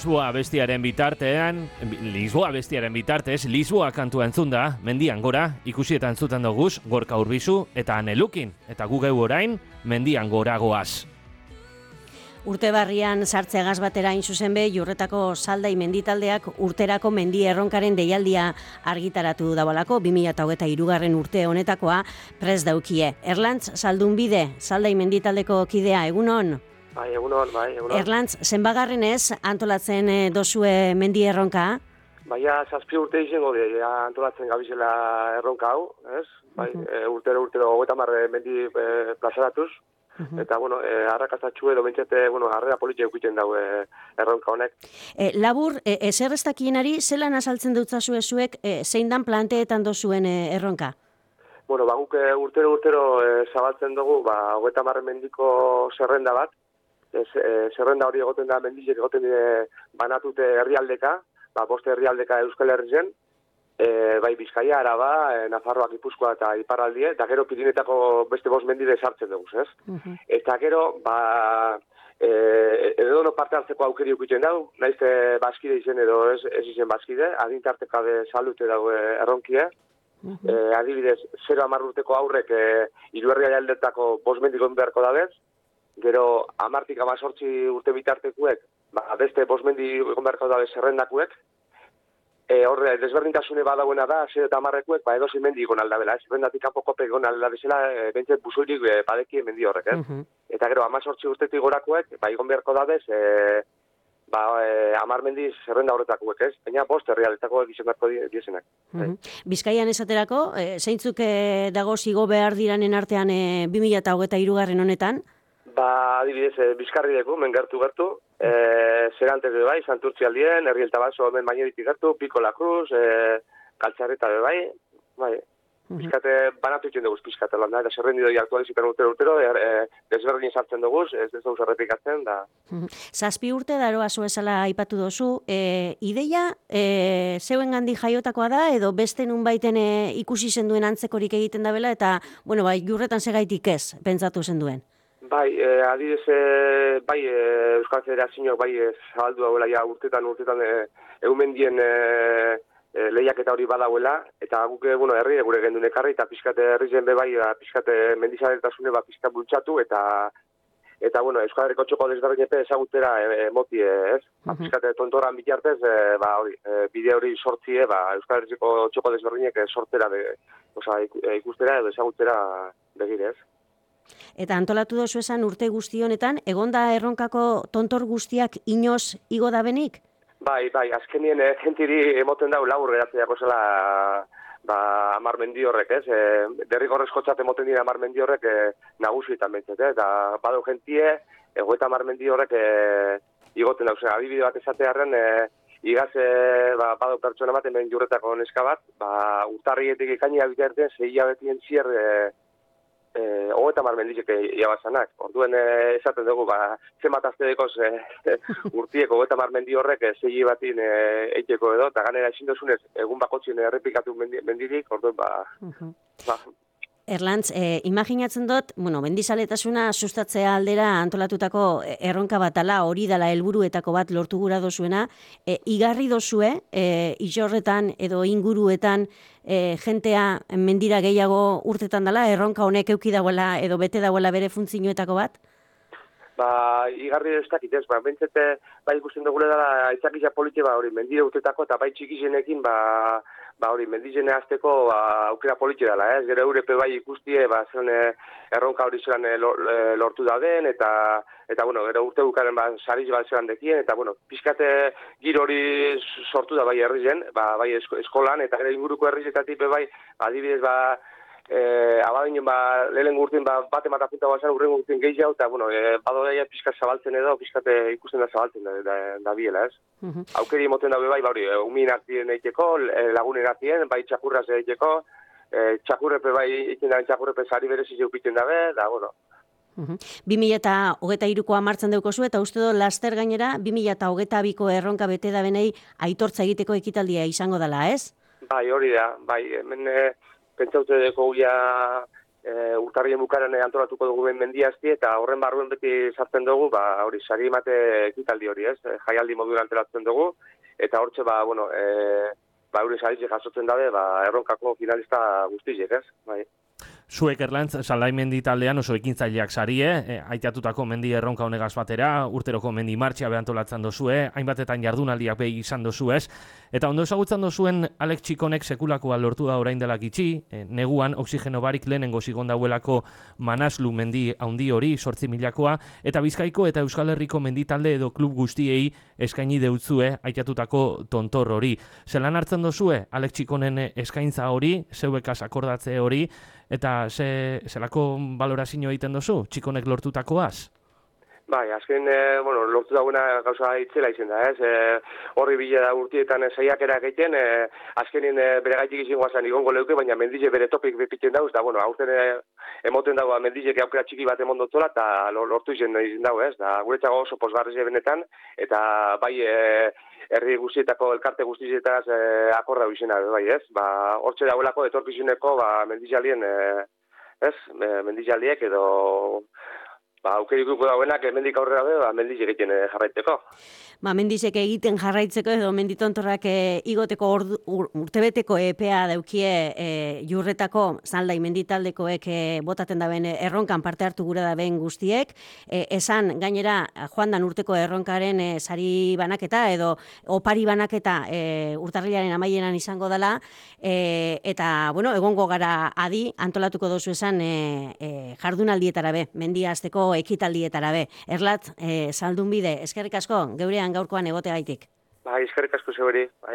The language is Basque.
Lisboa bestiaren bitartez, Lisboa kantua entzun da, mendian gora, ikusi eta entzuten doguz, Gorka Urbizu eta Anelukin, eta gu geu orain, mendian gora goaz. Urte barrian sartzeagaz batera hain zuzen be, Jurretako Saldai menditaldeak urterako mendi erronkaren deialdia argitaratu dabalako, 2023 urte honetakoa prest daukie. Erlantz Saldunbide, Saldai menditaldeko kidea, egunon? Bai, egunon. Erlantz, zenbagarrenez antolatzen dozue mendi erronka? Baina, 7 urte izango antolatzen gabizela erronka hau, ez? Bai, urtero 30 mendi plazaratuz. Eta, arrakastatxu edo bentsete, harrera politia eukiten dago erronka honek. Labur, ezer ez dakienari, zelan azaltzen dutzazue zuek zein dan planteetan dozuen erronka? Guk urtero zabaltzen dugu, 30 mendiko zerrenda bat. Zerrenda hori egoten da, mendizek egoten banatute herrialdeka, 5 herrialdeka Euskal Herrien, bai Bizkaia, Araba, Nafarroa, Gipuzkoa eta Iparraldie, eta gero Pirinetako beste 5 mendide sartzen dugu, ez? Eta gero, edo parte hartzeko aukeri ukiten dago, naizte bazkide izen edo ez izen bazkide, adintarteka de salute dago erronkie, adibidez, 0-10 urteko aurrek 3 herrialdetako 5 mendikon beharko dabez, gero 10-18 urte bitartekuek, beste 5 mendi egon beharko dabe zerrendakuek, horre, desberdintasune badauena da, 0 eta 10-ekuek, edo 6 mendi egon aldabela, zerrendatik kanpokopek egon aldabezela, bentzet buzuirik badeki mendi horrek, Eta gero, 18 urtetik gorakuek, egon beharko dabez, 10 mendi zerrenda horretakuek, ez? Baina 5 herrialdetakoek izan beharko diesenak. Bizkaian esaterako, zeintzuk dago zigo behar diranen artean 2023 honetan? Adibidez, Bizkarri deku, men gertu, Zerantes bebai, Santurtzi aldien, Herrielta Baso, men baineritik gertu, Piko La Cruz, Kaltzarreta bebai, Bizkate banatu itzen dugu, Bizkate landa, eta zerrendidoi aktualizipen urtero, desberdin sartzen dugu, ez dugu zerrepikatzen, da. 7 urte daroa zuezala aipatu dozu, ideia zeuen gandi jaiotakoa da, edo beste nun baiten ikusi zenduen antzekorik egiten dabela, eta, Jurretan segaitik ez, pentsatu zenduen. Adibidez, Euskal Federazioak zabaldu dauela ja urtetan eumendien lehiaketa hori badauela, eta guk herri gure gendun ekarri, eta pixkate herri zen pixkate mendizalertasune pixkat bultxatu, eta Euskal Herriko txoko desberdinepe ezagutera moti, ez? Pixkate tontoran bitartez, bide hori sortzie, Euskal Herriko txoko desberdinek sortzera, ikustera edo ezagutera begire, ez? Eta antolatu dozu esan urte guzti honetan, egonda erronkako tontor guztiak inoz igo da benik? Bai, azkenien gentiri emoten dau laur geratzeako zela 10 mendi horrek, ez? Derrigorrezkotzat emoten dira 10 mendi horrek nagusietan bentzet, eta badau gentie, 30 mendi horrek igoten dauz. Adibide bat esatearen, igaz badau pertsona bat, hemen Jurretako neska bat, urtarrietik ikaina biterten, 6 hilabetien zier 30 mendizek iabazanak. Orduen esaten dugu, zenbat aztedekoz urtieko 30 mendi horrek 6 batin eiteko edo, eta ganera ezin dozunez egun bakotzien errepikatu mendirik, orduen Erlantz, imaginatzen dut, mendizaletasuna sustatzea aldera antolatutako erronka batala, hori dela helburuetako bat lortu gura dozuena, igarri dozue, Ixorretan edo inguruetan jentea mendira gehiago urtetan dela, erronka honek euki dagoela edo bete dagoela bere funtzioetako bat? Igarri ez dakit ez, bentsete, ikusten dugule dela aitzakizia politia, hori mendire urtetako, eta txikizenekin, hori, mendizene azteko aukera politia dela, ez? Gero eurepe ikustie, zen erronka hori zelan lortu dauden, eta gero urte bukaren sariz bat zelan dekien, eta pixkate giro hori sortu da herri zen, eskolan, eta gero inguruko herrizetatik adibidez, abadinen lehen urtein bat ematapunta bazan urren urtein gehiago, eta badoia pixkat zabaltzen edo, pixkate ikusten da zabaltzen da biela, ez? Aukeri emoten da umien artien eiteko, lagunen artien, txakurraz eiteko, txakurrepe egiten da, txakurrepe sari bereziz eukiten dabe, da, 2023koa martzen deukozu, eta uste do laster gainera 2022ko erronka bete da benei aitortza egiteko ekitaldia izango dela, ez? Hori da, hemen pentsaute deko urtarrien bukaran antolatuko dugu mendiazti, eta horren barruen beti sartzen dugu, hori, sari emate ekitaldi hori, ez? Jaialdi modu antolatzen dugu, eta hortxe, hori saritxe jasotzen dabe, erronkako finalista guztiek, ez? Bai. Zuek Erlantz, Salai mendi taldean oso ekintzaileak sarie, aitatutako mendi erronka honegaz batera, urteroko mendi martxia behantolatzen dozue, hainbatetan jardunaldiak behi izan dozuez, eta ondo ezagutzen dozuen Alex Txikonek sekulakoa lortu da orain dela gitxi, neguan oxigeno barik lehenengo zigon dauelako Manaslu mendi haundi hori, 8.000koa, eta Bizkaiko eta Euskal Herriko mendi talde edo klub guztiei eskaini deutzue aitatutako tontor hori. Zelan hartzen dozue Alex Txikonen eskaintza hori, zeuekaz akordatze hori, eta zelako balorazio egiten dozu, Txikonek lortutakoaz? Bai, azken, lortu dagoena gauza itzela izen da, ez? Horri bile da urtietan saiakera egiten, azkenin bere gaitik izin guazan igongo leuke, baina mendize bere topik bepiten dauz, da, aurten emoten dago mendizek aukera txiki bat emondotola, eta lortu izan dago, ez? Da, guretzago oso posgarrize benetan, eta bai, herri guztietako, elkarte guztietaz akorda izena, bai, ez? Hortxe dagoelako etorkizuneko mendizalien, ez? Mendizaliek edo aukerikuko dauenak mendik aurrera be, mendiz egiten jarraitzeko. Mendizek egiten jarraitzeko edo menditontorrak igoteko urtebeteko epea daukie jurretako Zaldai menditaldekoek botaten daben erronkan parte hartu gura daben guztiek. Esan gainera joandan urteko erronkaren sari banaketa edo opari banaketa urtarrilaren amaieran izango dela, eta egongo gara adi antolatuko dozu esan jardunaldietara be, mendia hasteko ekitaldietara be. Erlat, Zaldunbide, eskerrik asko, geurean gaurkoan egoteagaitik. Bai, eskerrik asko zeuri. Bai.